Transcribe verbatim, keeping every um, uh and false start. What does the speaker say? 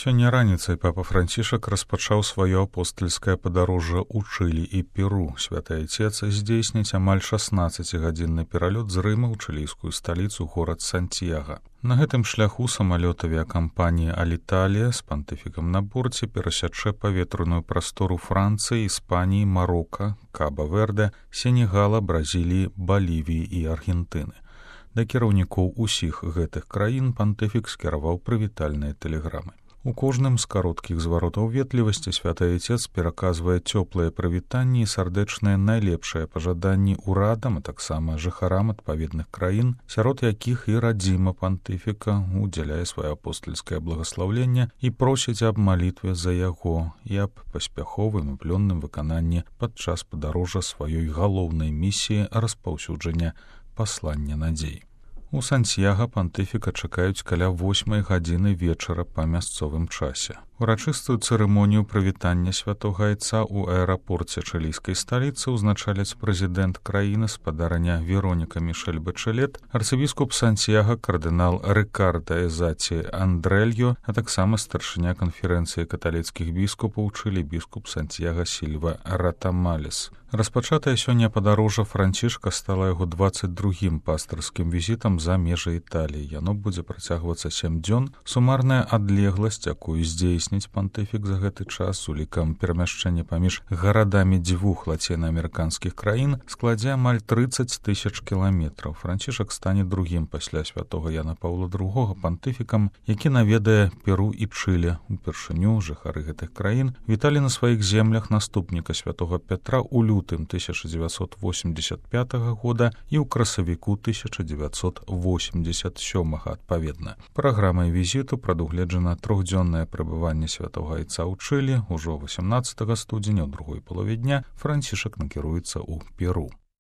Сёння раніцай папа Францішак распачаў сваё апостальскае падарожжа ў Чылі і Перу. Святы Айцец здзейсніць амаль шаснаццацігадзінны пералёт з Рыма ў чылійскую сталіцу горад Сантьяга. На гэтым шляху самалёт авіякампаніі «Аліталія» з пантыфікам на борце перасячэ паветраную прастору Францыі, Іспаніі, Марока, Каба-Верде, Сенегала, Бразіліі, Балівіі і Аргентыны. Да кіраўнікоў усіх гэтых краін пантыфік скіраваў прывітальныя тэлеграмы. У кожным з кароткіх зваротаў ветлівасці святы Айцец пераказвае цёплыя прывітанні і сардэчныя найлепшыя пажаданні ўрадам, а таксама жыхарам адпаведных краін, сярод якіх і радзіма пантыфіка удзяляе сваё апостальскае благаслаўленне і просіць аб малітве за яго і аб паспяховым і плённым выкананні падчас падарожжа сваёй галоўнай місіі распаўсюджання паслання надзей. У Сантьяга пантыфіка чакаюць каля восьмай гадзіны вечара па мясцовым часе. Урачыстую цырымонію прывітання святога Айца ў аэрапорце чылійскай сталіцы ўзначаляць прэзідэнт краіны спадарня Вероніка Мішэль-Бачэлет, арцыбіскуп Сантьяга кардынал Рыкарда Эзаці Андрэльо, а таксама старшыня канферэнцыі каталіцкіх біскупаў Чылі біскуп Сантьяга Сільва Ратамалес. Распачатае сёння падарожжа Францішка стала яго дваццаць другім пастырскім візітам за межы Італіі. Яно будзе працягвацца сем дзён. Сумарная адлегласць, якую здзейсніць пантыфік за гэты час з улікам перамяшчэння паміж гарадамі дзвюх лацінаамерыканскіх краін, складзе амаль трыццаць тысяч кіламетраў. Францішак стане другім пасля святога Яна Паўла другога пантыфікам, які наведае Перу і Чылі. Упершыню жыхары гэтых краін віталі на сваіх землях наступніка святога Пятра ў лютым тысяча дзевяцьсот восемьдесят пятага года і ў красавіку тысяча дзевяцьсот восемьдесят сёмага адпаведна. Праграмай візіту прадугледжана трохдзённае прабыванне святога Айца ў Чылі. Ужо васямнаццатага студзеня ў другой палове дня Францішак накіруецца ў Перу.